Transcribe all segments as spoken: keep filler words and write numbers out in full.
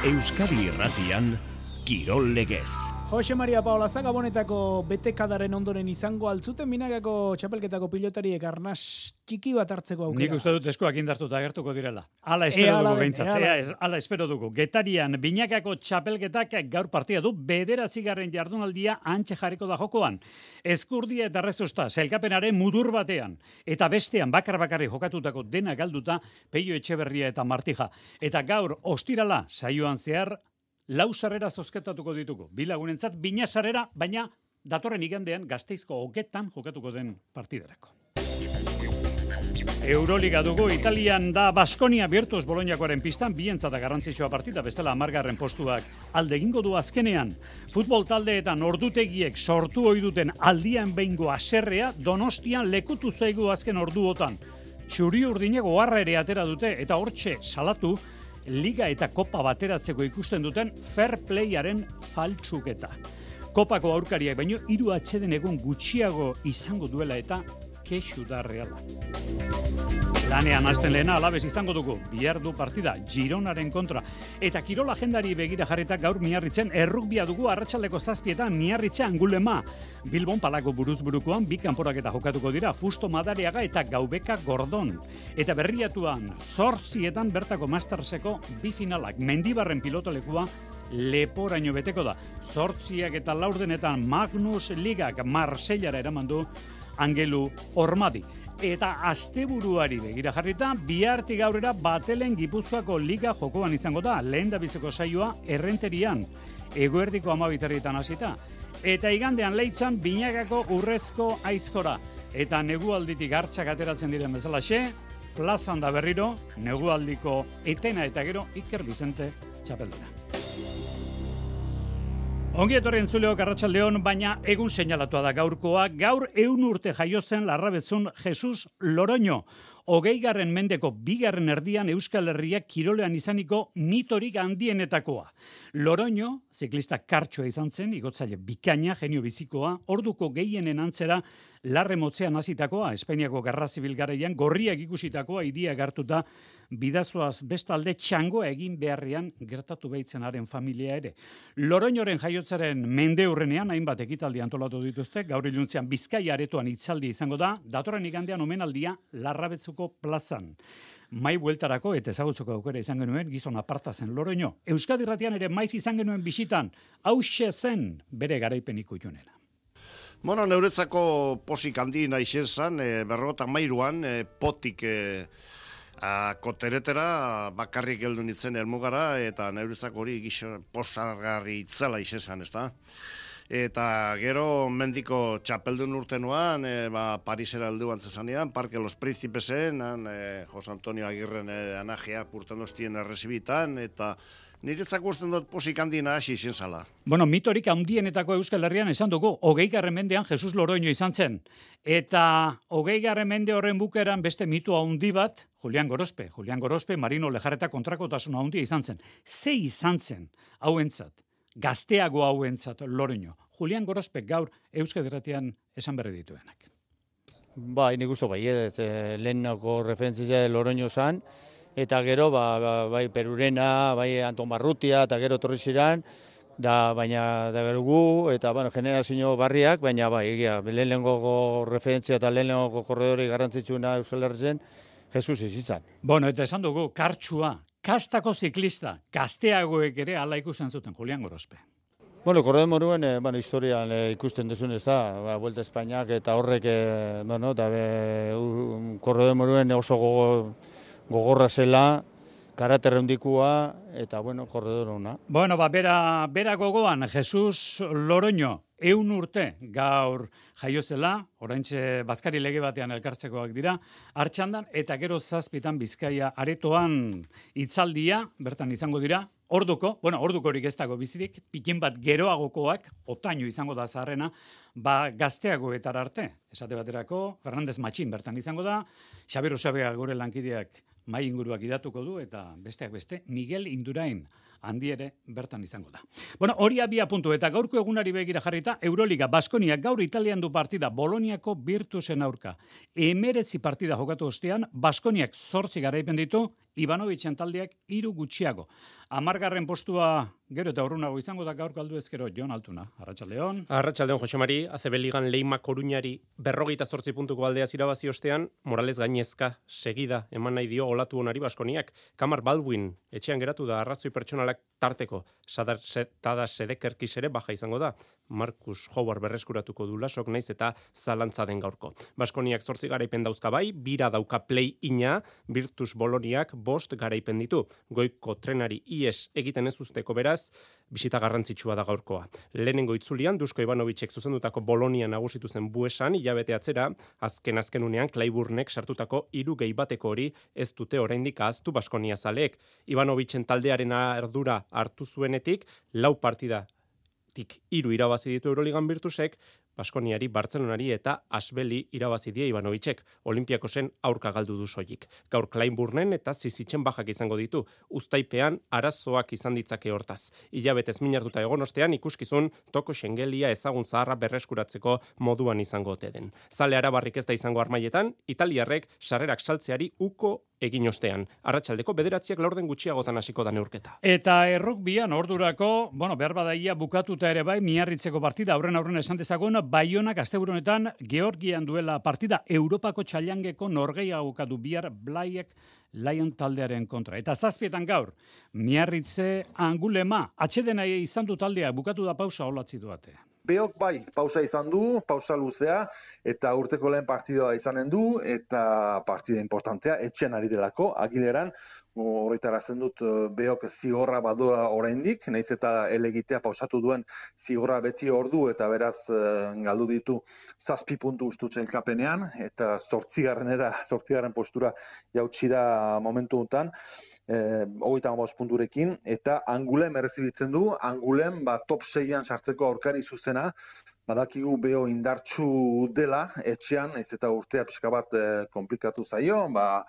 Euskadi Irratian, Kirol Legez. Jose Maria Paola Zagabonetako betekadaren ondoren izango altzuten Binagako txapelketako pilotariek arnas txiki bat hartzeko aukera. Nik uste dut eskuak indartuta agertuko direla. Hala espero Ea, dugu ala den, behintzat. ea, ala Ea, ez- Hala espero dugu. Getarian Binakako txapelketak gaur partida du bederatzigarren jardunaldia antxe jarriko da jokoan. Eskurdia eta Rezosta sailkapenaren mudur batean. Eta bestean bakar bakarri jokatutako dena galduta Peio Etxeberria eta Martija. Eta gaur ostirala saioan zehar lau sarrera zozketatuko ditugu. Bi lagunentzat bina sarrera, baina datorren igandean Gasteizko hogetan jokatuko den partiderako. Euroliga dugu, Italian da Baskonia Virtus Bolognakoaren pistan, bientzat garrantzitsua partida, bestela hamargarren postuak alde egingo du azkenean. Futbol taldeetan ordutegiek sortu ohi duten aldian behingo haserrea Donostian lekutu zaigu azken orduotan. Txuri urdinek oharra ere atera dute eta hortxe salatu Liga eta Kopa bateratzeko ikusten duten fair playaren faltsuketa. Kopako aurkariak baino hiru atxeden egun gutxiago izango duela eta kexu da Reala. Lanean hasten lehena Alabez izango dugu, bihar du partida Gironaren kontra. Eta kirol agendari begira jarrita gaur Miarritzen errugbia dugu arratsaldeko zazpietan Miarritze Angulema. Bilbon Palako buruzburukoan bi kanporaketa jokatuko dira Fusto Madariaga eta Gaubeka Gordon. Eta berriatuan zortzietan bertako Masterseko bi finalak. Mendibarren pilotalekua leporaino beteko da. Zortziak eta laurdenetan Magnus Ligak Marsellara eraman du Angelu Ormadi. Eta asteburuari begira jarrita, bihartik gaurera Batelen Gipuzkoako Liga jokoan izango da, lehen da biziko saioa Errenterian, eguerdiko amabitarrietan hasita. Eta igandean Leitzan Binagako Urrezko Aizkora. Eta negualditik hartzak ateratzen diren bezalaxe, plazan da berriro, negualdiko etena eta gero Iker Bizente txapelduna. Ongi etorri entzuleok arratsaldeon, baina egun seinalatua da gaurkoa. Gaur ehun urte jaiotzen Larrabetzun Jesus Loroño. Hogeigarren mendeko bigarren erdian Euskal Herriak kirolean izaniko mitorik handienetakoa. Loroño, ziklista kartxoa izan zen, igotzaile bikaina, genio bizikoa, orduko gehienen antzera larre motzean hasitakoa, Espainiako Gerra Zibil garaian gorriak ikusitakoa, hiria gartuta bidazoaz bestalde txangoa egin beharrean gertatu behitzenaren familia ere. Loroñoren jaiotzaren mendeurrenean hainbat ekitaldi antolatu dituzte, gaur iluntzean Bizkaia aretoan hitzaldi izango da, datorren igandean omenaldia Larrabetzuko plazan. Mai bueltarako eta ezagutzeko aukera izan genuen gizon aparta zen Loroño. Euskadi Irratian ere maiz izan genuen bisitan, hauxe zen bere garaipen ikutxunera. Bueno, neuretzako posik handi nahi zan, e, berrogota mairuan, e, potik e, a, koteretera bakarrik geldu nintzen helmugara, eta neuretzako hori gixo posargarri itzela izan, ez da? Eta gero mendiko txapeldun urtenuan, e, ba, Parisera heldu antzesanean, Parque Los Príncipesen, e, Jose Antonio Agirren e, anajea purtendostien errezibitan, eta niretzako usten dut posik handina hasi izin zala. Bueno, mitorik handienetako Euskal Herrian esan dugu, hogeigarren mendean Jesus Loroño izan zen. Eta hogeigarren mende horren bukeran beste mito handi bat, Julian Gorospe. Julian Gorospe, Marino Lejarreta kontrakotasuna handia izan zen. Ze izan zen hauentzat, gazteago hauentzat Loroño. Julian Gorospe gaur Euskadi Irratian esan berri dituenak. Bai, nik uste bai, ez, lehenako referentzia Loroño zan, eta gero, ba, ba, bai Perurena, bai Anton Barrutia, eta gero torri ziren, da, baina da gero gu, eta bueno, generazio barriak, baina bai, egia, lehenengo referentzia eta lehenengo korredori garrantzitsuna Euskal Herrizen, Jesus izan. Bueno, eta esan dugu, kartsua, kastako ziklista, gazteagoek ere ala ikusten zuten Julian Gorospe. Bueno, korredor moruen, eh, bueno, historian eh, ikusten duzun ez da, ba, Vuelta Espainiak eta horrek, eh, bueno, da be, uh, korredor moruen oso gogo, gogorra zela, karater handikua, eta, bueno, korredor hona. Bueno, ba, bera, bera gogoan, Jesus Loroño, eun urte gaur jaiozela, oraintxe Bazkari lege batean elkartzekoak dira, Artxandan, eta gero zazpitan Bizkaia aretoan hitzaldia, bertan izango dira, orduko, bueno, orduko horik ez dago bizirik, pikin bat geroagokoak, otaino izango da zaharrena, ba gazteagoetara arte, esate baterako, Fernandez Matxin bertan izango da, Xabier Osabea gure lankideak mai inguruak idatuko du, eta besteak beste, Miguel Indurain handi ere bertan izango da. Bueno, hori abia puntu eta gaurko egunari begira jarrita, Euroliga Baskonia gaur Italian du partida Boloniako Virtusen aurka. Emeretzi partida jokatu ostean, Baskoniak zortzi garaipen ditu, Ivanovitzen taldeak hiru gutxiago. Amargarren postua gero eta urrunago izango da gaurko aldu ezkero Jon Altuna. Arratsaldeon. Arratsaldeon, Jose Mari, A C B Ligan Leima Koruñari berrogeita zortzi puntuko aldeaz irabazi ostean, Morales gainezka segida eman nahi dio olatu onari Baskoniak. Kamar Baldwin etxean geratu da arrazoi pertsonalak tarteko. Sadar Tada Sedekerkis ere baja izango da. Marcus Howard berreskuratuko du lasok naiz eta zalantza den gaurko. Baskoniak zortzi garaipen dauzka bai, bira dauka play-ina, Virtus Boloniak bost garaipen ditu. Goiko trenari ies egiten ez usteko beraz, bisita garrantzitsua da gaurkoa. Lehenengo itzulian, Dusko Ivanovicek zuzendutako Bolonia nagusitu zen Buesan, hilabete atzera, azken azkenunean Clayburnek sartutako hiru gehi bateko hori ez dute oraindik ahaztu Baskonia zaleek. Ivanovicen taldearen ardura hartu zuenetik, lau partida tik hiru irabazi ditu Euroligan Virtusek, Baskoniari, Bartzelonari eta Asbeli irabazi die Ivanovicek, Olimpiakosen aurka galdu du soilik. Gaur Kleinburnen eta Zizitzen bajak izango ditu, uztaipean arazoak izan ditzake hortaz. Hilabetez minartuta egon ostean ikuskizun toko Schengelia ezagun zaharra berreskuratzeko moduan izango ote den. Zale arabarrik ez da izango armaietan, italiarrek sarrerak saltzeari uko egin ostean. Arratsaldeko bederatziak laurden gutxiagotan hasiko da neurketa. Eta errukbian ordurako, bueno, behar badaia bukatuta ere bai, miarritzeko partida, aurren aurren esan dezagun, Baionak asteburunetan Georgian duela partida Europako txailangeko norgehiagoka du bihar Blaiek Lion taldearen kontra. Eta zazpietan gaur, miarritze Angulema, atxedena izan du taldea, bukatu da pausa olatzi duate. Beok bai, pausa izan du, pausa luzea, eta urteko lehen partidoa izanen du, eta partida importantea, etxean ari delako, Agileran, horretarazten dut Beok zigorra badura oraindik, naiz eta elegitea pausatu duen zigorra beti ordu, eta beraz galdu ditu zazpi puntu ustu txelkapenean, eta zortzigarrenera, zortzigarren postura jautsi da momentu honetan, eh, hogeita hamabost punturekin, eta Angulem errezibitzen du, Angulem ba, top seian sartzeko aurkari zuzena, badakigu Beo indartsu dela, etxean, ez eta urtea pixka bat eh, komplikatu zaio, ba,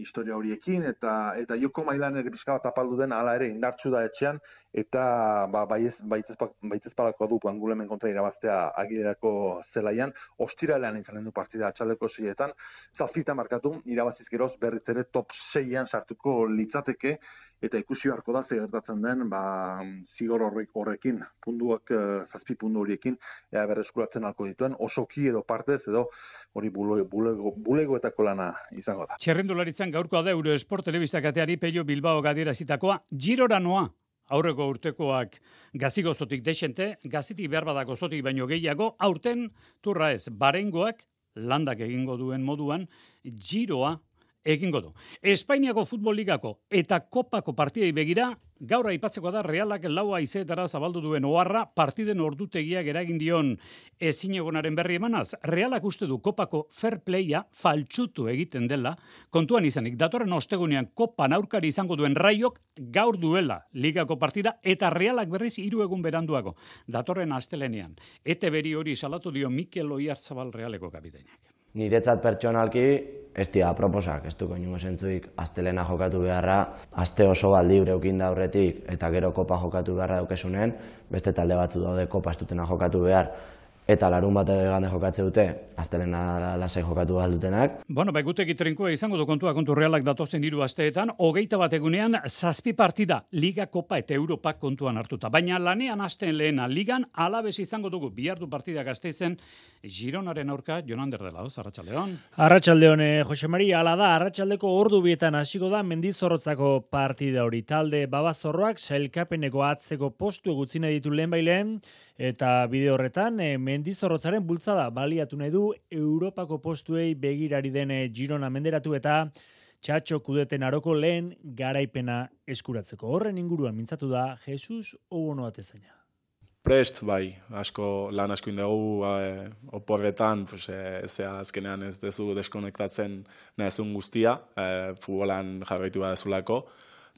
historia horiekin, eta eta joko mailan ere pixka bat apaldu den hala ere indartsu da etxean, eta ba, baitezpalako du Angulemen kontra irabaztea Agilerako zelaian, ostiralean izanen du partida atxaldeko seietan, zazpitan markatu, irabaziz geroz berriz ere top seian sartuko litzateke, eta ikusi beharko da ze gertatzen den, ba, zigor horrek horrekin, puntuak zazpi puntu horiekin, ea berreskuratzen alko dituen, osoki edo partez edo hori bulego, bulego, bulegoetako lana izango da. Txerrendularitzan gaurkoa da Eurosport telebista kateari Pello Bilbao gadierazitakoa, Girora noa. Aurreko urtekoak gazigozotik desente, gazitik behar badak gozotik baino gehiago, aurten turra ez, barengoak landak egingo duen moduan, Giroa egingo du. Espainiako Futbol Ligako eta Kopako partidei begira, gaur aipatzeko da Realak laua izeetara zabaldu duen oharra partiden ordutegiak eragin dion ezinegonaren berri emanaz. Realak uste du Kopako fair playa faltsutu egiten dela, kontuan izanik datorren ostegunean Kopan aurkari izango duen Raiok gaur duela ligako partida eta Realak berriz hiru egun beranduago. Datorren astelenean. Ete beri hori salatu dio Mikel Oiartzabal Realeko kapitainak. Niretzat pertsonalki ez dira proposak, ez duko inungo zentzuik astelena jokatu beharra, aste oso bat libre eukin da aurretik eta gero kopa jokatu beharra daukesunen, beste talde batzu daude kopa ez dutena jokatu behar, eta larun bat edo egane jokatze dute, astelena lasai jokatu behar dutenak. Bueno, bai guteki trinkoa izango du kontua kontu Realak datozen hiru asteetan, hogeita bat egunean zazpi partida, Liga, Kopa eta Europa kontuan hartuta. Baina lanean hasten lehena ligan alabez izango dugu bihardu partida Gasteizen Gironaren aurka Jonander dela, Arratsaldeon. Arratsaldeon, eh, Jose Mari, ala da, arratsaldeko ordu bietan hasiko da Mendizorrotzako partida hori. Talde Babazorroak sailkapeneko atzeko postu gutxi nahi ditu lehenbailen, eta bide horretan eh, Mendizorrotzaren bultzada baliatu nahi du Europako postuei begirari den Girona menderatu eta Txatxo Kudeten aroko lehen garaipena eskuratzeko. Horren inguruan mintzatu da Jesus Obono Atezaina. Prest, bai, asko, lan asko indegu, e, oporretan, pues, e, zea azkenean ez dezu deskonektatzen nahezun guztia, e, futbolan jarraitu badezulako,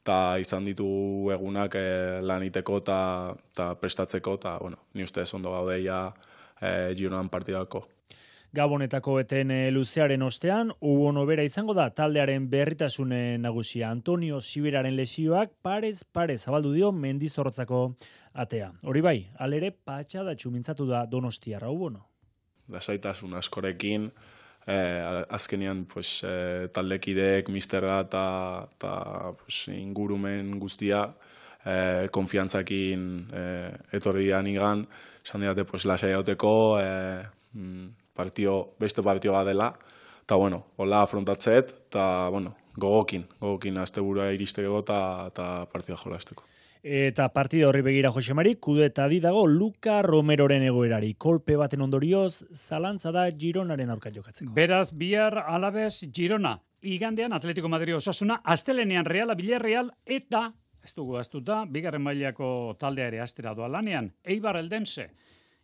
eta izan ditu egunak e, lan iteko eta prestatzeko, eta, bueno, ni ustez ondo gaudeia e, Gironan partidako. Gabonetako eten luzearen ostean, ubono bera izango da taldearen berritasune nagusia. Antonio Siberaren lesioak parez parez zabaldu dio Mendizorrotzako atea. Hori bai, alere patxadatxu mintzatu da Donostiarra ubono. Lasaitasun askorekin, eh, azkenean pues, eh, taldekideek, misterra eta pues, ingurumen guztia, eh, konfiantzakin eh, etorri dian igan, esan diate pues, lasai hauteko, eh, partio, beste partio bat dela, eta bueno, hola afrontatzet, eta bueno, gogokin, gogokin asteburua iristeko eta partida jolasteko. Eta partida horri begira Josemari, kude eta di dago Luka Romeroren egoerari. Kolpe baten ondorioz, zalantza da Gironaren aurka jokatzeko. Beraz, bihar Alabez Girona. Igandean Atletico Madrid Osasuna, astelenean Reala Villarreal eta, ez dugu aztuta, bigarren mailako taldea ere astera doa lanean, Eibar Eldense.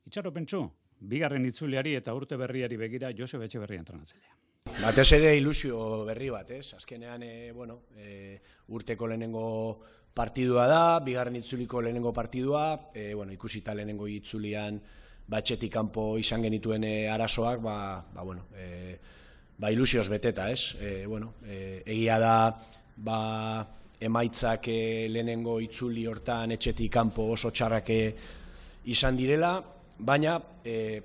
Itxaro pentsu, bigarren itzuliari eta urte berriari begira Joseba Etxeberria entrenatzailea. Batez ere ilusio berri bat, ez? Azkenean, e, bueno, e, urteko lehenengo partidua da, bigarren itzuliko lehenengo partidua, e, bueno, ikusita lehenengo itzulian batxetik kanpo izan genituen e, arazoak, ba, ba, bueno, e, ba ilusioz beteta, ez? E, bueno, e, egia da, ba, emaitzak e, lehenengo itzuli hortan etxetik kanpo oso txarrak izan direla, baina e,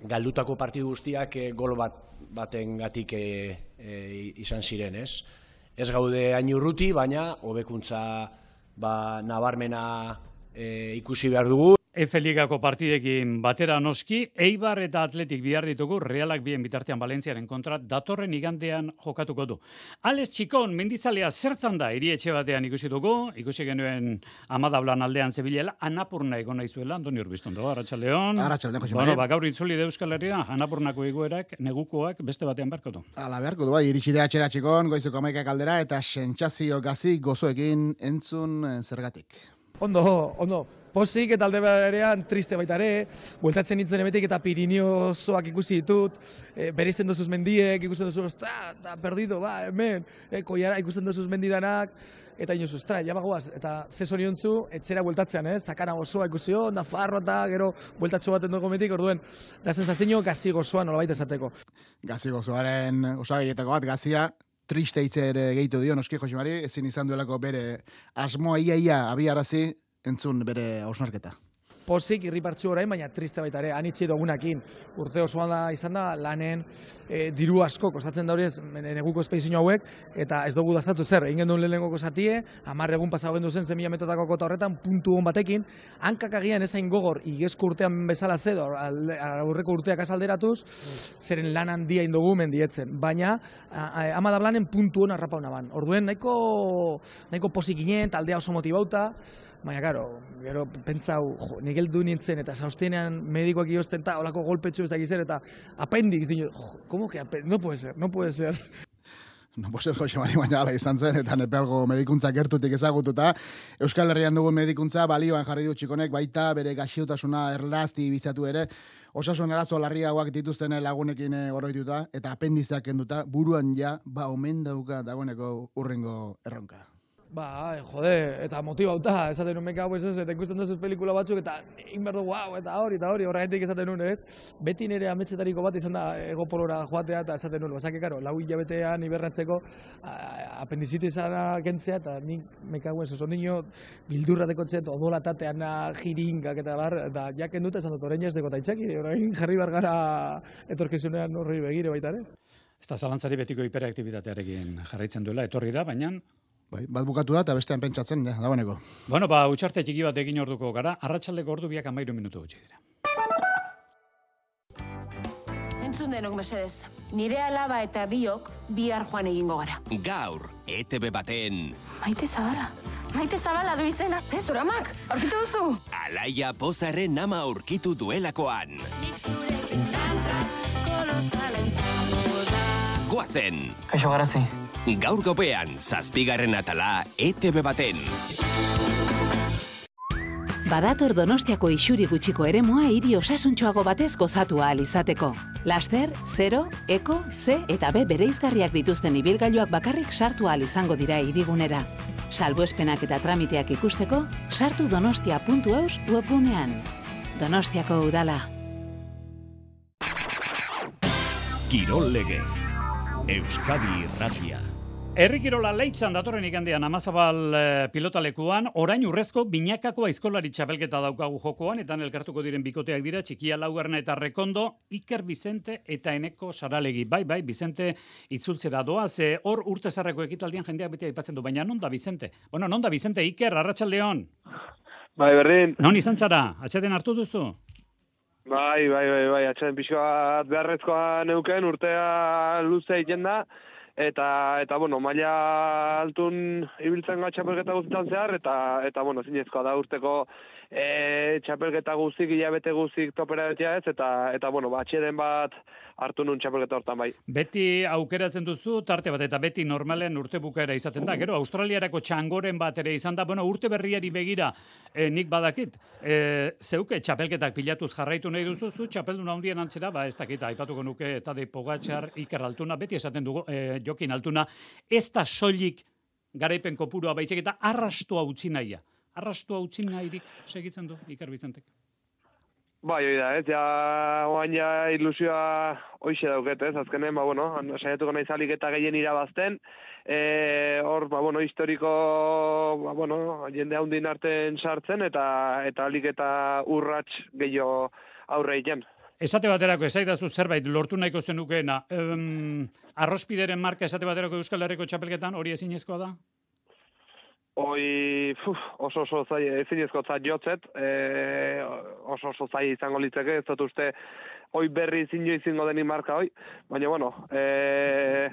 galdutako partidu guztiak e, gol bat baten gatik e, e, izan ziren, ez? Ez gaude hain urruti, baina hobekuntza ba, nabarmena e, ikusi behar dugu. Efe Ligako partidekin batera noski, Eibar eta Atletik bihar ditugu, Realak bien bitartean Valentziaren kontra datorren igandean jokatuko du. Alex Txikon, mendizalea zertan da, hiri etxe batean ikusi dugu, ikusi genuen Amadablan aldean Zebilela, Anapurna egon naizuela, Andoni Urbiztondo, Arratsaldeon. Arratsaldeon, Jose Maria. Bueno, ba, gaur itzuli de Euskal Herria, Anapurnako egoerak, negukoak beste batean beharko du. Ala beharko du, bai, iritsi da atxera Txikon, goizuko amaikak aldera, eta sentsazio gazi gozoekin entzun zergatik. Ondo, ondo. Pozik eta alde berean triste baita ere, bueltatzen nintzen emetik eta Piriniozoak ikusi ditut, e, bereizten dozuz mendiek, ikusten dozuz, ostra, da, perdido, ba, hemen, e, koiara ikusten dozuz mendidanak, eta inozu, ostra, jamagoaz, eta ze zoriontzu, etzera bueltatzean, eh? Sakana gozoa ikusio, Nafarro eta gero bueltatxo baten dugu metik, orduen, da sensazio gazi gozoa nolabait esateko. Gazi gozoaren osagaietako bat, gazia, triste hitzer gehitu dio, noski Josemari, ezin izan duelako bere asmoa ia-ia abiarazi, entzun bere hausnarketa. Pozik, irripartzu orain, baina triste baita ere, anitzi dugunakin. Urte osoan da izan da, lanen e, diru asko, kostatzen da hori ez, neguko espeizio hauek, eta ez dugu daztatu zer, egin duen lehenengoko zatie, hamar egun pasau gendu zen zemila metotako kota horretan, puntu hon batekin, hankak agian ezain gogor, igezko urtean bezala zedo, aurreko urteak azalderatuz, zeren lan handia indogu mendietzen, baina Amadablanen puntu hon arrapa honaban. Orduen, nahiko, nahiko pozik ginen, taldea oso motibauta, baina, karo, gero, pentsau, jo, nigeldu nintzen, eta saustenean medikoak iozten, eta holako golpetxu ez da gizera, eta apendik, jo, como que apendik? No puede ser, no puede ser. No puede ser, Jose Mari, baina ala izan zen, eta nepelgo medikuntza gertutik ezagututa. Euskal Herrian dugun medikuntza balioan jarri du Txikonek, baita bere gaxiotasuna erlazti bizatu ere, osasun arazo larriagoak dituzten lagunekin oroituta, eta apendizak kenduta, buruan ja, ba, omen dauka dagoeneko urrengo erronka. Ba, jode, eta motibauta, esaten nun meka hau ez ez, eta ikusten duzuz pelikula batzuk, eta inberdu, wow, eta hori, eta hori, horregatik esaten nun, ez? Beti nire ametsetariko bat izan da egopolora joatea, eta esaten nun, basake, karo, lau hilabetean iberratzeko apendizitizara kentzea, eta nik meka hau ez ez, ondino bildurrateko txet, odolatatean jiringak, eta bar, eta jaken dut esan dut, orain ez deko taitzaki, orain jarri bargara etorkizunean horri begire baita, ere? Ez da zalantzari betiko hiperaktibitatearekin jarraitzen duela, etorri da, baina Bai, bat bukatu da eta bestean pentsatzen, ja, dagoeneko. Bueno, ba, utxarte txiki bat egin orduko gara, arratsaldeko ordu biak amairu minutu gutxi dira. Entzun denok mesedez, nire alaba eta biok bihar joan egingo gara. Gaur, E T B baten... Maite Zabala, Maite Zabala du izena, ze zuramak, aurkitu duzu? Alaia Pozarren ama aurkitu duelakoan. Goazen! Kaixo garazi. Gaur gopean, zazpigarren atala E T B baten. Badator Donostiako isuri gutxiko eremua hiri osasuntxoago batez gozatu ahal izateko. Laster, zero, eko, ze eta B bereizgarriak dituzten ibilgailuak bakarrik sartu ahal izango dira hirigunera. Salbuespenak eta tramiteak ikusteko, sartu donostia puntu eus webgunean. Donostiako udala. Kirol legez. Euskadi Irratia. Herri kirola Leitzan datorren igandean Amazabal eh, pilotalekuan, orain urrezko binakako aizkolari txapelketa daukagu jokoan, eta elkartuko diren bikoteak dira, Txikia Laugarna eta Rekondo, Iker Bizente eta Eneko Saralegi. Bai, bai, Bizente itzultzera doa, ze hor urte zarreko ekitaldian jendeak beti aipatzen du, baina non da Bizente? Bueno, non da Bizente, Iker, arratsaldeon. Bai, berdin. Non izan zara, atxeden hartu duzu? Bai, bai, bai, bai, atxeden pixkoa beharrezkoa neuken, urtea luze egiten da, eta, eta bueno, maila altun ibiltzen gara txapelketa guztietan zehar, eta, eta bueno, zinezkoa da urteko e, txapelketa guztik, hilabete guztik topera betia ez, eta, eta bueno, atxeden bat hartu nun txapelketa hortan bai. Beti aukeratzen duzu, tarte bat, eta beti normalen urte bukaera izaten da. Gero, Australiarako txangoren bat ere izan da, bueno, urte berriari begira, eh, nik badakit, eh, zeuke txapelketak pilatuz jarraitu nahi duzu, zu txapeldun handien antzera, ba ez dakit, aipatuko nuke, eta de Pogačar, Iker Altuna, beti esaten dugu, eh, Jokin Altuna, ez da soilik garaipen kopurua baitzek, eta arrastua utzi nahia. Arrastua utzi nahirik segitzen du, Iker Bizentek. Bai, hori da, ez, ja, oain ja ilusioa hoixe dauket, ez, azkenen, ba, bueno, saiatuko nahi zalik eta gehien irabazten, e, hor, ba, bueno, historiko, ba, bueno, jende handin arten sartzen, eta eta alik eta urrats gehiago aurre egiten. Esate baterako, esaidazu zerbait lortu nahiko zenukeena, um, arrospideren marka esate baterako Euskal Herriko txapelketan, hori ezinezkoa da? Hoi, puf, oso oso zai, ezinezko zai jotzet, e, oso oso zai izango litzeke, ez dut uste, hoi berri zinio izingo denik marka hoi, baina, bueno, e,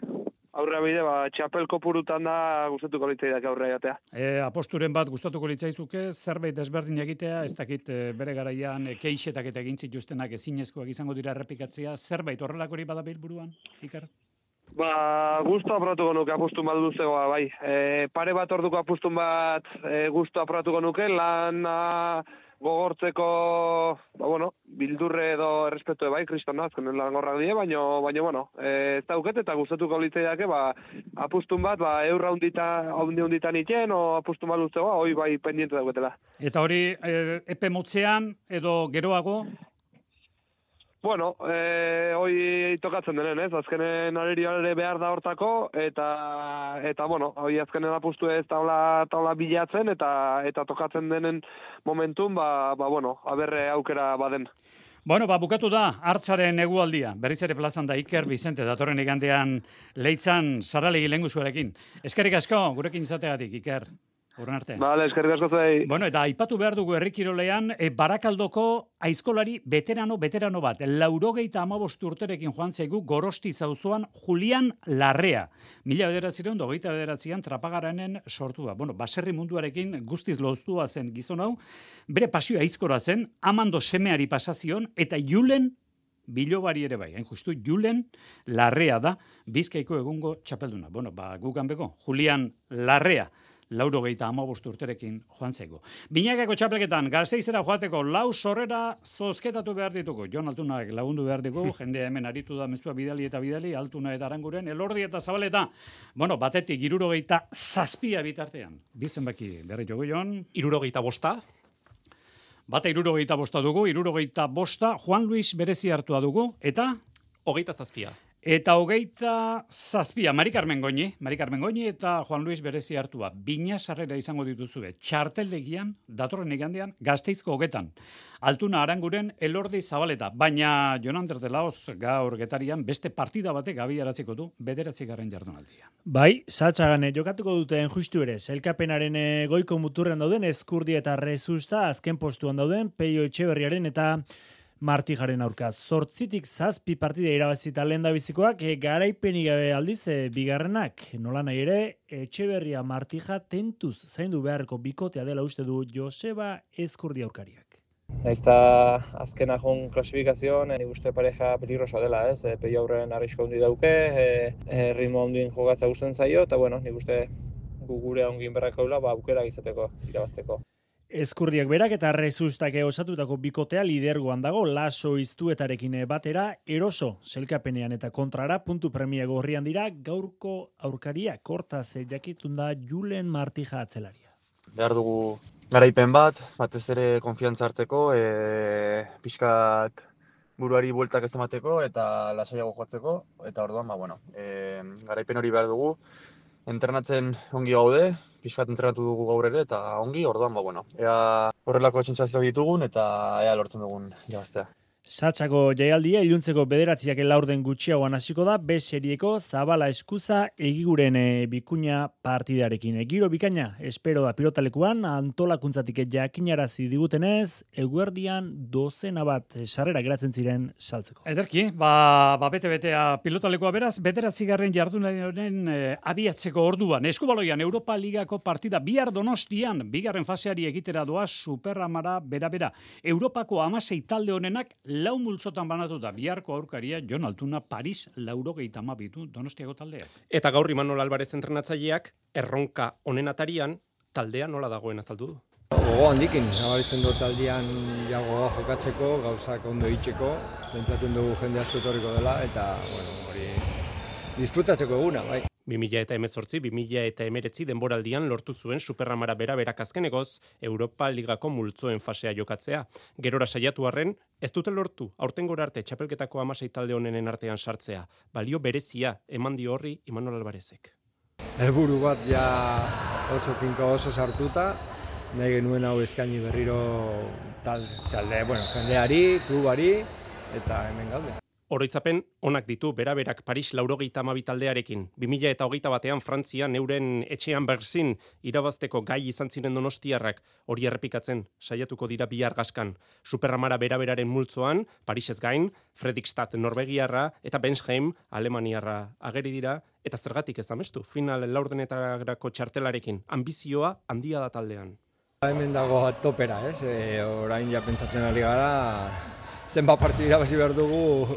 aurrea bide, ba, txapel kopurutan da gustatuko litzaidak aurrea jatea. E, aposturen bat gustatuko litzaizuke, zerbait desberdin egitea, ez dakit e, bere garaian e, keixetak eta egin zituztenak ezinezkoak izango dira errepikatzea, zerbait horrelakori badabil buruan, Iker? Ba, gustu apratuko nuke apustun bat duzegoa, bai. E, pare bat orduko apustun bat e, gustu apratuko nuke, lan a, gogortzeko, ba, bueno, bildurre edo errespetu bai, kristona, azkenen lan gorrak die, baina, baina, bueno, e, ez dauket eta gustatuko litzaiake, ba, apustun bat, ba, eurra hundita, hundi hunditan iten, o apustun bat duzegoa, hoi bai pendiente dauketela. Eta hori, e, epe motzean edo geroago? Bueno, eh, hoi tokatzen denen, ez? Azkenen arerioare behar da hortako, eta, eta bueno, hoi azkenen apustu ez taula, taula bilatzen, eta eta tokatzen denen momentun, ba, ba bueno, aberre aukera baden. Bueno, ba, bukatu da, hartzaren egualdia. Berriz ere plazan da Iker Bizente, datorren igandean Leitzan Saralegi lengusuarekin. Eskerrik asko, gurekin izategatik, Iker. Urren arte. Vale, eskerrik asko zei. Bueno, eta aipatu behar dugu herrikirolean, e, Barakaldoko aizkolari veterano, veterano bat, laurogeita amabost urterekin joan zaigu Gorosti zauzoan Julian Larrea. Mila bederatzireun, dogeita bederatzian trapagaranen sortua. Bueno, baserri munduarekin guztiz loztua zen gizon hau, bere pasioa aizkora zen, Amando semeari pasazion, eta Julen Bilobari ere bai, hain justu Julen Larrea da, Bizkaiko egungo txapelduna. Bueno, ba, gugan bego, Julian Larrea. Lauro geita amabost urterekin joan zaigu. Binakako txapelketan, Gasteizera joateko lau sorrera zozketatu behar ditugu. Jon Altunak lagundu behar ditugu, jendea hemen aritu da mezua bidali eta bidali, Altuna eta Aranguren, Elordi eta Zabaleta. Bueno, batetik irurogeita zazpia bitartean. Bizen baki berri jogu, Jon. Irurogeita bosta. Bata irurogeita bosta dugu, irurogeita bosta, Juan Luis berezi hartua dugu, eta? Hogeita zazpia. Eta hogeita zazpia, Mari Carmen Goñi, Mari Carmen Goñi eta Juan Luis berezi hartua. Bina sarrera izango dituzue. Txarteldegian, datorren igandean, Gasteizko hogetan. Altuna Aranguren, Elordi Zabaleta. Baina Jon Ander de Laoz gaur Getarian beste partida batek abiaraziko du bederatzigarren jardunaldia. Bai, Satxagane jokatuko duten justu ere, Sailkapenaren goiko muturrean dauden Ezkurdi eta Rezusta, azken postuan dauden Peio Etxeberriaren eta Martijaren aurka. Zortzitik zazpi partida irabazita lehen da bizikoak, e, garaipenik gabe aldiz e, bigarrenak. Nola nahi ere, Etxeberria Martija tentuz zaindu beharko bikotea dela uste du Joseba Ezkurdi aurkariak. Naizta azkena joan klasifikazioan, nik uste pareja peligrosa dela, ez? E, Peio aurren arrisko handi dauke, e, e, ritmo handien jogatza gusten zaio, eta bueno, nik uste gu gure ongin berrak haula, ba, aukera izateko, irabazteko. Ezkurdiak berak eta Rezustak osatutako bikotea lidergoan dago, Laso iztuetarekin batera, eroso selkapenean eta kontrara, puntu premia gorrian dira, gaurko aurkaria, kortaz jakitun da Julen Martija atzelaria. Behar dugu garaipen bat, batez ere konfiantza hartzeko, e, pixkat buruari bueltak ez emateko eta lasaiago joatzeko, eta orduan, ba, bueno, e, garaipen hori behar dugu, entrenatzen ongi gaude, pixkat entrenatu dugu gaur ere, eta ongi, orduan, ba, bueno, ea horrelako sentsazioak ditugun, eta ea lortzen dugun irabaztea. Satsako jaialdia iluntzeko bederatziak laurden gutxiagoan hasiko da, B serieko Zabala Eskuza egiguren e, bikuña partidarekin. Giro bikaina, espero da pilotalekuan, antolakuntzatik jakinarazi digutenez, eguerdian dozena bat sarrera geratzen ziren saltzeko. Ederki, ba, ba bete-betea pilotalekoa beraz, bederatzigarren jardunaren e, abiatzeko orduan. Eskubaloian, Europa Ligako partida bihar Donostian, bigarren faseari egitera doa Superamara bera-bera. Europako hamasei talde honenak lau multzotan banatuta, biharko aurkaria Jon Altuna Paris laurogeita hamabitu Donostiako taldea. Eta gaur Imanol Alvarez entrenatzaileak erronka honen atarian taldea nola dagoen azaldu du. Gogo handikin, nabaritzen dut taldean jagoa jokatzeko, gauzak ondo itxeko, pentsatzen dugu jende asko etorriko dela, eta bueno, hori disfrutatzeko eguna, bai. bi mila hemezortzi bi mila hemeretzi denboraldian lortu zuen Superamara bera-berak azkenegoz Europa Ligako multzoen fasea jokatzea. Gerora saiatu arren, ez dute lortu aurtengora arte txapelketako hamasei talde honenen artean sartzea. Balio berezia eman dio horri Imanol Alvarezek. Helburu bat ja oso finko oso sartuta, nahi genuen hau eskaini berriro talde, bueno, jendeari, klubari, eta hemen gaude. Oroitzapen onak ditu bera-berak Paris laurogeita hamabi taldearekin. bi mila hogeita batean Frantzian euren etxean Berzin irabazteko gai izan ziren donostiarrak hori errepikatzen saiatuko dira bihar gaskan. Superamara bera-beraren multzoan, Parisez gain, Fredrikstad Norvegiarra eta Bensheim Alemaniarra ageri dira, eta zergatik ez amestu final laurdenetarako txartelarekin. Ambizioa handia da taldean. Hemen dago topera, ez? E, orain ja pentsatzen ari gara, zenbat partidu irabazi behar dugu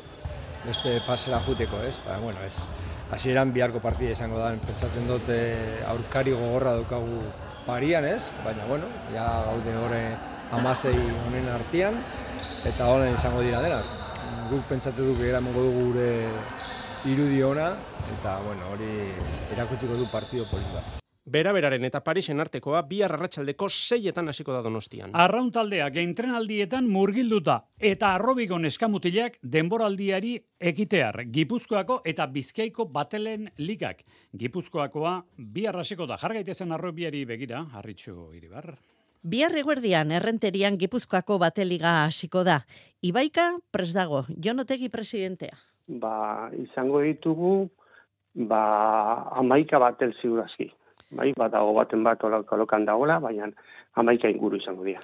beste fasera juteko, ez? Ba, bueno, ez. Hasieran biharko partida izango da, pentsatzen dute aurkari gogorra daukagu parian, ez? Baina, bueno, ja gaude hori hamasei honen artean, eta honen izango dira denak. Guk pentsatu dugu eramango dugu gure irudi ona, eta, bueno, hori erakutsiko du partido polit bat. Bera-beraren eta Parisen artekoa bihar arratsaldeko seietan hasiko da Donostian. Arraun taldeak entrenaldietan murgilduta eta arrobiko neskamutilak denboraldiari ekitear. Gipuzkoako eta Bizkaiko batelen ligak. Gipuzkoakoa bihar hasiko da. Jargaitezen arrobiari begira, Harritxu Iribar. Bihar eguerdian errenterian Gipuzkoako bateliga hasiko da. Ibaika pres dago, Jon Otegi presidentea. Ba, izango ditugu ba hamaika batel ziurazki. Bai, badago baten bat kolokan dagoela, baina hamaika inguru izango dira.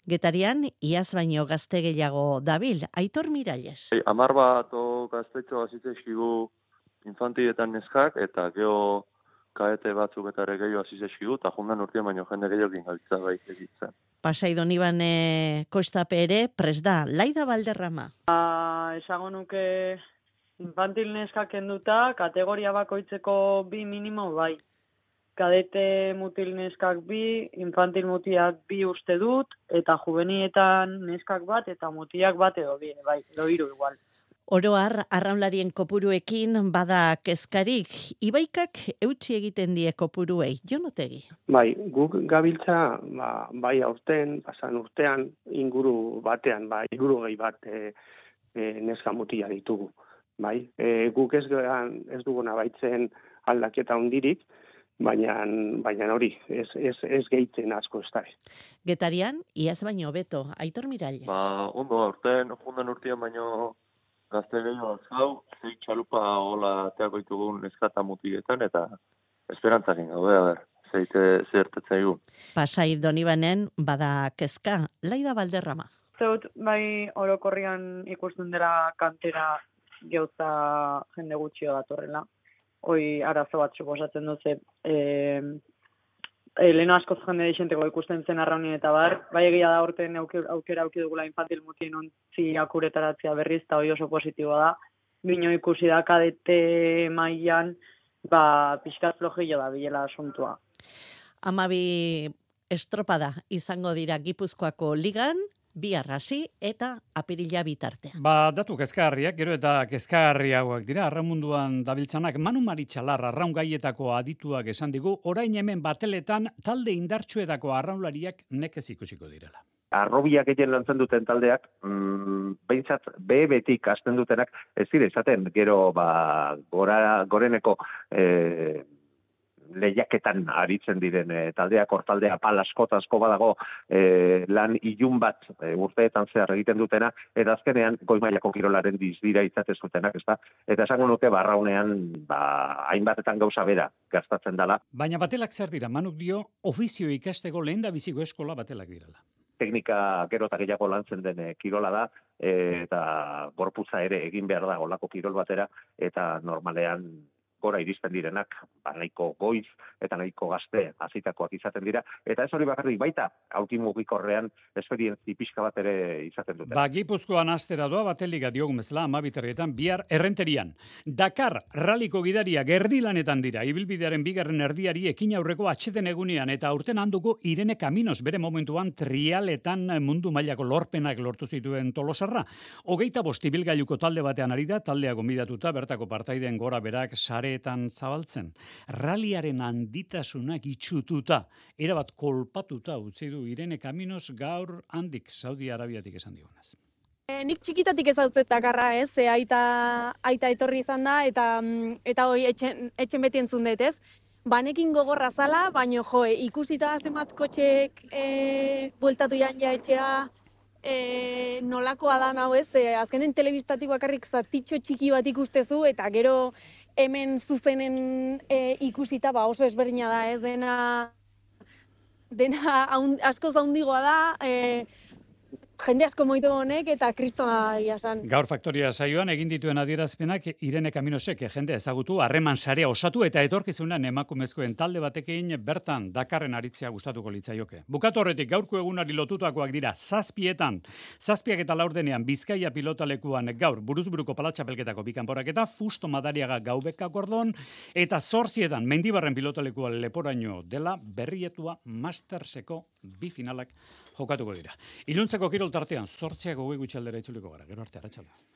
Getarian, iaz baino gazte gehiago dabil, Aitor Miralles. Hey, amar bat o gaztetxo azitzeskigu infantietan neskak, eta geho kaete batzuk eta ere gehiago azitzeskigu, eta jundan urtean baino jende gehiago gingabitza bai egitzen. Pasai Donibane Kostape ere, pres da, Laida Valderrama. Ah, esango nuke infantil neskak enduta, kategoria bakoitzeko bi minimo bai. Kadete mutil neskak bi, infantil mutiak bi uste dut, eta juvenietan neskak bat, eta mutiak bat edo bi, bai, edo hiru igual. Oroar, arraunlarien kopuruekin bada kezkarik, Ibaikak eutsi egiten die kopuruei, Jon Otegi. Bai, guk gabiltza, ba, bai aurten, pasan urtean, inguru batean, bai, inguru gehi bat e, e, neska mutia ditugu. Bai, e, guk ez, ez duguna baitzen aldaketa hundirik, Baina, baina hori, ez, ez, ez gehitzen asko ez da. Getarian, iaz baino beto, Aitor Miralles. Ba, ondo, urtean, jundan urtean baino gazte gehiago azkau, zei txalupa hola teako ditugun eskata mutietan, eta esperantzakin gaude, a ber, zeite zertetzen egun. Pasai Donibanen bada kezka, Laida Valderrama. Zeut, bai orokorrian ikusten dela kantera geuza jende gutxio datorrela. Hoi arazo bat suposatzen duze, e, e, leheno askoz jende deixenteko ikusten zen arraunien eta bar, bai egia da orten aukera auki dugula infantil mutien ontzi akuretaratzea berriz, eta hoi oso positiboa da. Bino ikusi da kadete mailan, ba, pixkat flojillo da bilela asuntua. Amabi estropada izango dira Gipuzkoako ligan, bihar hasi eta apirila bitartean. Ba, datu kezkagarriak, gero eta kezkagarriagoak dira, arramunduan dabiltzanak, Manu Maritxalar arraun gaietako adituak esan digu, orain hemen bateletan talde indartsuetako arraunlariak nekez ikusiko direla. arrobia gehien lantzen duten taldeak, mm, behintzat B betik hasten dutenak, ez dira izaten, gero ba, gora, goreneko e, lehiaketan aritzen diren e, taldeak, hortaldea pal asko eta asko badago e, lan ilun bat e, urteetan zehar egiten dutena, eta azkenean goi mailako kirolaren dizdira izaten zutenak, ezta? Eta esango nuke barraunean ba, hainbatetan gauza bera gastatzen dela. Baina batelak zer dira, Manuk dio, ofizio ikasteko lehen da biziko eskola batelak dirala. Teknika gero eta gehiago lantzen den kirola da, e, eta gorputza ere egin behar da olako kirol batera, eta normalean gora iristen direnak, ba, nahiko goiz eta nahiko gazte hasitakoak izaten dira, eta ez hori bakarrik baita, auti mugikorrean esperientzi pixka bat ere izaten dute. Ba, Gipuzkoan astera doa bateliga diogun bezala amabiterrietan, bihar errenterian. Dakar, raliko gidaria gerdilanetan dira, ibilbidearen bigarren erdiari ekin aurreko atxeden egunean, eta aurten handuko Irene Kaminos, bere momentuan trialetan mundu mailako lorpenak lortu zituen Tolosarra. Hogeita bost ibilgailuko talde batean ari da, taldea gonbidatuta, bertako partaideen gora berak sare etan zabaltzen. Raliaren handitasunak itxututa, erabat kolpatuta utzi du Irene Kaminos gaur handik Saudi Arabiatik esan digunez. E, nik txikitatik ezautzet Dakarra, ez? E, aita, aita etorri izan da, eta, eta hoi etxen, etxen beti entzun dut, ez? Banekin gogorra zala, baino jo, ikusita zenbat kotxek e, bueltatu jan ja etxea, e, nolakoa da hau, ez? E, azkenen telebistatik bakarrik zatitxo txiki bat ikustezu, eta gero hemen zuzenen e, ikusita ba oso ezberdina da, ez dena dena askoz handigoa da, e, jende asko moitu honek eta kristona iasan. Gaur Faktoria saioan egin dituen adierazpenak Irene Kaminosek jende ezagutu, harreman sarea osatu eta etorkizunan emakumezkoen talde batekin bertan Dakarren aritzea gustatuko litzaioke. Bukatu horretik gaurko egunari lotutakoak dira zazpietan, zazpiak eta laurdenean Bizkaia pilotalekuan gaur buruzburuko palatxapelketako bikanporak eta Fusto Madariaga gaubeka kordon, eta zortzietan Mendibarren pilotalekua leporaino dela berrietua Masterseko bi finalak jokatuko dira. Iluntzeko kirol tartean zortziak hogei gutxi aldera itzuliko gara. Gero arte, arratsaldean.